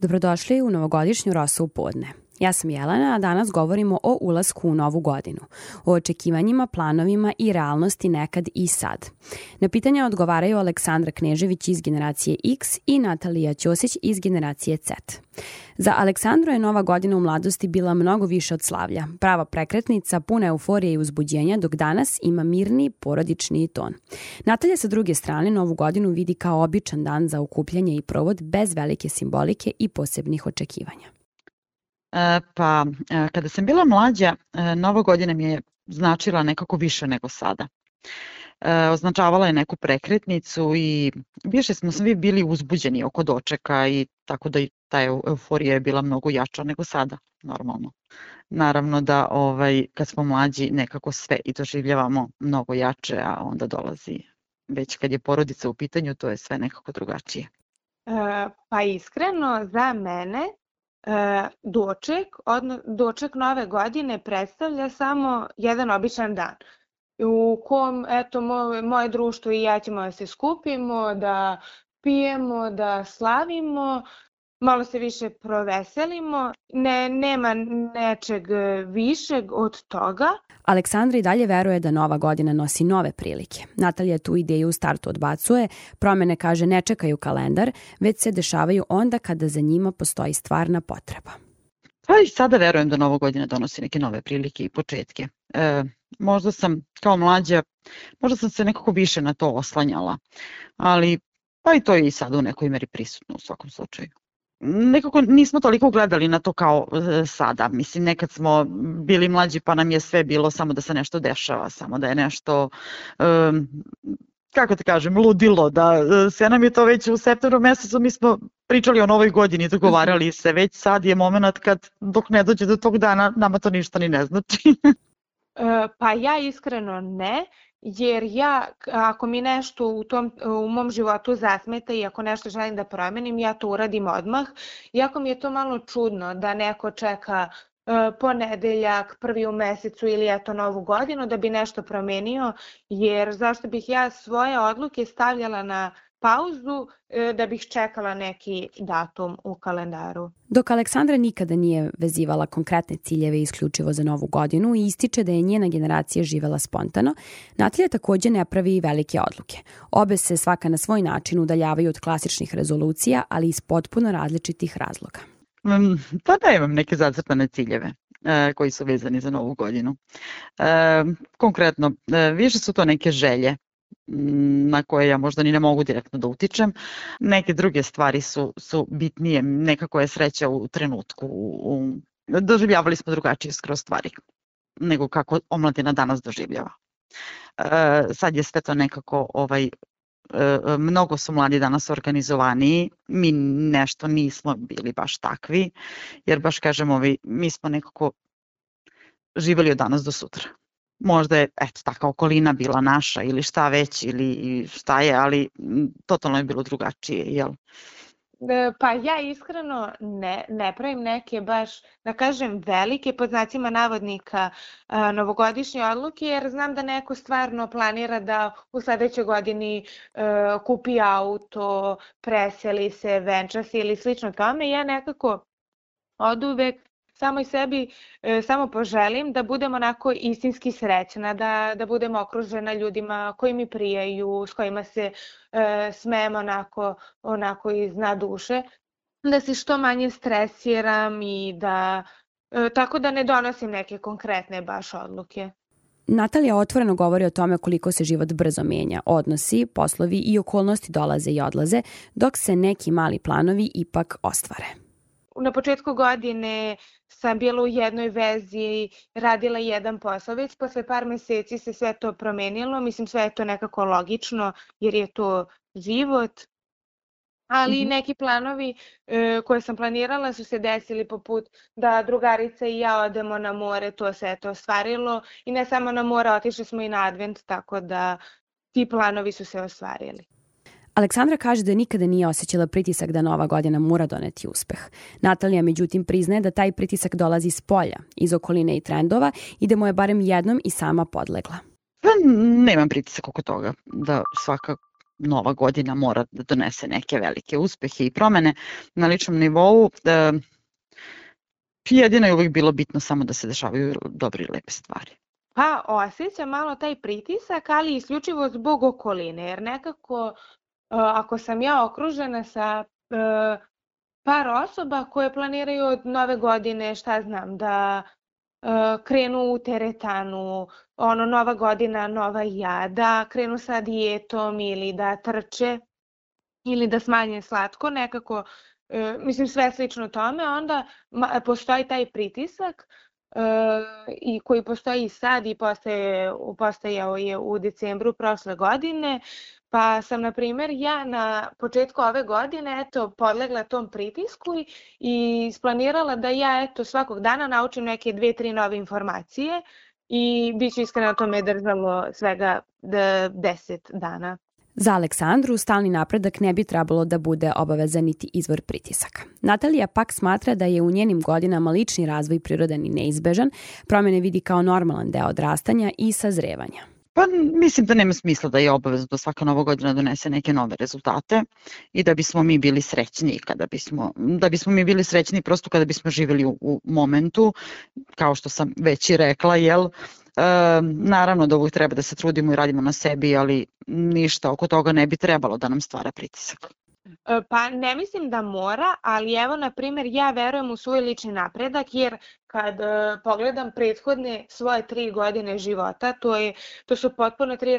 Dobrodošli u novogodišnju Rosu u podne. Ja sam Jelena, a danas govorimo o ulasku u novu godinu, o očekivanjima, planovima i realnosti nekad i sad. Na pitanja odgovaraju Aleksandra Knežević iz generacije X i Natalija Ćosić iz generacije Z. Za Aleksandru je nova godina u mladosti bila mnogo više od slavlja, prava prekretnica, puna euforije i uzbuđenja, dok danas ima mirni, porodični ton. Natalija sa druge strane novu godinu vidi kao običan dan za okupljanje i provod bez velike simbolike i posebnih očekivanja. Kada sam bila mlađa, Nova godina mi je značila nekako više nego sada. Označavala je neku prekretnicu i više smo svi bili uzbuđeni oko dočeka i tako da i ta euforija je bila mnogo jača nego sada, normalno. Naravno da kad smo mlađi nekako sve i doživljavamo mnogo jače, a onda dolazi već kad je porodica u pitanju, to je sve nekako drugačije. Pa iskreno za mene doček nove godine predstavlja samo jedan običan dan u kom moje društvo i ja ćemo da se skupimo, da pijemo, da slavimo, malo se više proveselimo, nema nečeg višeg od toga. Aleksandra i dalje veruje da nova godina nosi nove prilike. Natalija tu ideju u startu odbacuje, promene kaže ne čekaju kalendar, već se dešavaju onda kada za njima postoji stvarna potreba. Pa i sada verujem da nova godina donosi neke nove prilike i početke. Možda sam kao mlađa, možda sam se nekako više na to oslanjala, ali pa i to je i sada u nekoj meri prisutno u svakom slučaju. Nekako nismo toliko gledali na to kao sada. Mislim, nekad smo bili mlađi pa nam je sve bilo samo da se nešto dešava, samo da je nešto, kako te kažem, ludilo. Da sve nam je to već u septembru mesecu, mi smo pričali o novoj godini, dogovarali se, već sad je moment kad dok ne dođe do tog dana nama to ništa ni ne znači. Pa ja iskreno ne. Jer ako mi nešto u mom životu zasmeta i ako nešto želim da promenim, ja to uradim odmah. Iako mi je to malo čudno da neko čeka ponedeljak, prvi u mesecu ili novu godinu da bi nešto promenio, jer zašto bih ja svoje odluke stavljala na pauzu da bih čekala neki datum u kalendaru. Dok Aleksandra nikada nije vezivala konkretne ciljeve isključivo za novu godinu i ističe da je njena generacija živela spontano, Natalija takođe ne pravi velike odluke. Obe se svaka na svoj način udaljavaju od klasičnih rezolucija, ali iz potpuno različitih razloga. Pa da imam neke zacrtane ciljeve koji su vezani za novu godinu. Konkretno, više su to neke želje na koje ja možda ni ne mogu direktno da utičem. Neke druge stvari su bitnije, nekako je sreća u trenutku. Doživljavali smo drugačije skroz stvari nego kako omladina danas doživljava. Sad je sve to nekako, mnogo su mladi danas organizovaniji, mi nešto nismo bili baš takvi, jer baš kažem, mi smo nekako živjeli od danas do sutra. Možda je taka okolina bila naša ili šta već ili šta je, ali totalno je bilo drugačije, jel? Pa ja iskreno ne pravim neke baš, da kažem, velike pod znacima navodnika novogodišnje odluke, jer znam da neko stvarno planira da u sledećoj godini kupi auto, preseli se, venča se ili slično tome. Ja nekako oduvek samo i sebi samo poželim da budem onako istinski srećna, da budem okružena ljudima koji mi prijaju, s kojima se smem onako iz dna duše, da se što manje stresiram i tako da ne donosim neke konkretne baš odluke. Natalija otvoreno govori o tome koliko se život brzo menja, odnosi, poslovi i okolnosti dolaze i odlaze, dok se neki mali planovi ipak ostvare. Na početku godine sam bila u jednoj vezi, radila jedan posao, već posle par meseci se sve to promenilo, mislim sve je to nekako logično jer je to život, ali neki planovi koje sam planirala su se desili poput da drugarica i ja odemo na more, to se je to ostvarilo i ne samo na more, otišli smo i na advent, tako da ti planovi su se ostvarili. Aleksandra kaže da nikada nije osjećala pritisak da nova godina mora doneti uspeh. Natalija međutim priznaje da taj pritisak dolazi iz polja, iz okoline i trendova i da mu je barem jednom i sama podlegla. Nemam pritisak oko toga, da nova godina mora da donese neke velike uspehe i promene na ličnom nivou. Jedino je uvijek bilo bitno samo da se dešavaju dobre i lepe stvari. Pa osjećam malo taj pritisak, ali isključivo zbog okoline, jer nekako ako sam ja okružena sa par osoba koje planiraju od nove godine, šta znam, da krenu u teretanu, nova godina, nova ja, da krenu sa dijetom ili da trče ili da smanje slatko, nekako, mislim sve slično tome, onda postoji taj pritisak i koji postoji i sad i postojao je u decembru prošle godine, pa sam, na primjer, ja na početku ove godine podlegla tom pritisku i isplanirala da ja svakog dana naučim neke 2-3 nove informacije i bit ću iskreno, to me držalo svega 10 dana. Za Aleksandru stalni napredak ne bi trebalo da bude obavezan niti izvor pritisaka. Natalija pak smatra da je u njenim godinama lični razvoj prirodan i neizbežan, promjene vidi kao normalan deo odrastanja i sazrevanja. Pa mislim da nema smisla da je obavezno da svaka nova godina donese neke nove rezultate i da bismo mi bili srećni da bismo mi bili srećni prosto kada bismo živjeli u momentu, kao što sam već i rekla, naravno da uvijek treba da se trudimo i radimo na sebi, ali ništa oko toga ne bi trebalo da nam stvara pritisak. Pa ne mislim da mora, ali evo, na primjer, ja verujem u svoj lični napredak, jer kad pogledam prethodne svoje 3 godine života, to su potpuno 3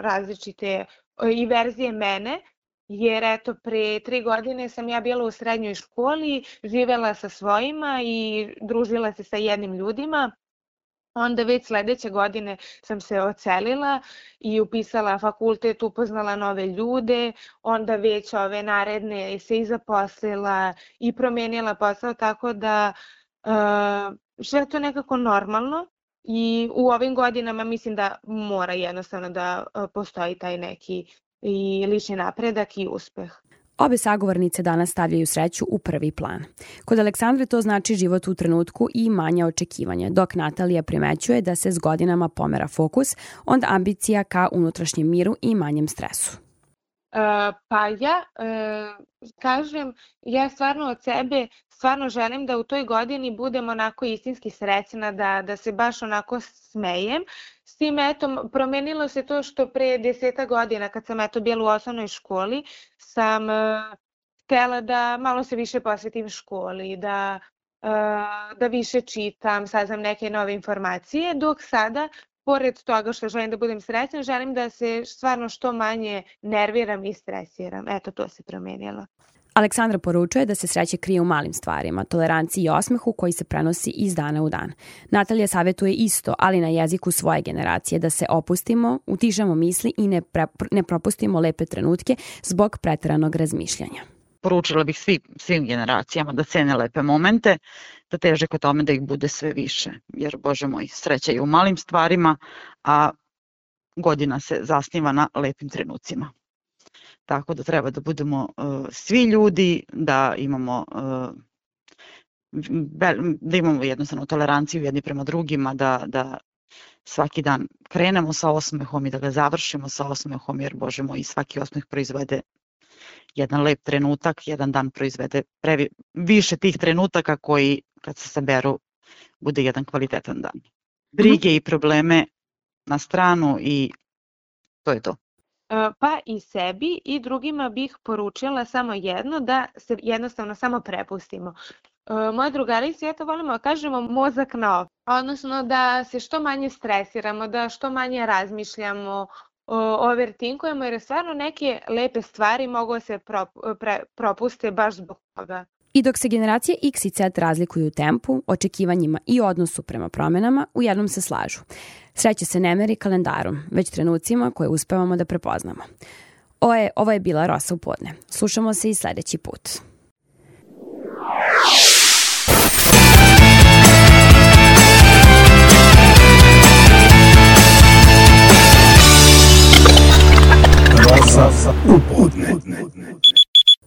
različite i verzije mene, jer pre 3 godine sam ja bila u srednjoj školi, živela sa svojima i družila se sa jednim ljudima. Onda već sledeće godine sam se odselila i upisala fakultet, upoznala nove ljude, onda već ove naredne se i zaposlila i promijenila posao, tako da sve to nekako normalno i u ovim godinama mislim da mora jednostavno da postoji taj neki i lični napredak i uspeh. Obe sagovornice danas stavljaju sreću u prvi plan. Kod Aleksandre to znači život u trenutku i manja očekivanja, dok Natalija primećuje da se s godinama pomera fokus, onda ambicija ka unutrašnjem miru i manjem stresu. Pa ja kažem, ja stvarno od sebe želim da u toj godini budem onako istinski srećna, da se baš onako smejem. S tim promenilo se to što pre 10 godina kad sam bila u osnovnoj školi, sam htjela da malo se više posvetim školi, da više čitam, saznam neke nove informacije, dok sada, pored toga što želim da budem srećna, želim da se stvarno što manje nerviram i stresiram. Eto, to se promenilo. Aleksandra poručuje da se sreća krije u malim stvarima, toleranciji i osmehu koji se prenosi iz dana u dan. Natalija savjetuje isto, ali na jeziku svoje generacije, da se opustimo, utišamo misli i ne propustimo lepe trenutke zbog pretjeranog razmišljanja. Poručila bih svim generacijama da cene lepe momente, da teže ka tome da ih bude sve više, jer, Bože moj, sreća je u malim stvarima, a godina se zasniva na lepim trenucima. Tako da treba da budemo svi ljudi, da imamo jednostavno toleranciju jedni prema drugima, da svaki dan krenemo sa osmehom i da ga završimo sa osmehom, jer, Bože moj, svaki osmeh proizvede jedan lep trenutak, jedan dan proizvede više tih trenutaka koji, kad se saberu, bude jedan kvalitetan dan. Brige i probleme na stranu i to je to. Pa i sebi i drugima bih poručila samo jedno, da se jednostavno samo prepustimo. Moje drugarice, volimo da kažemo mozak na off, odnosno da se što manje stresiramo, da što manje razmišljamo, overtinkujemo, jer stvarno neke lepe stvari mogu se propuste baš zbog toga. I dok se generacije X i Z razlikuju u tempu, očekivanjima i odnosu prema promjenama, u jednom se slažu. Sreća se ne meri kalendarom, već trenucima koje uspevamo da prepoznamo. Ovo je bila Rosa u podne. Slušamo se i sljedeći put. Rosa u podne.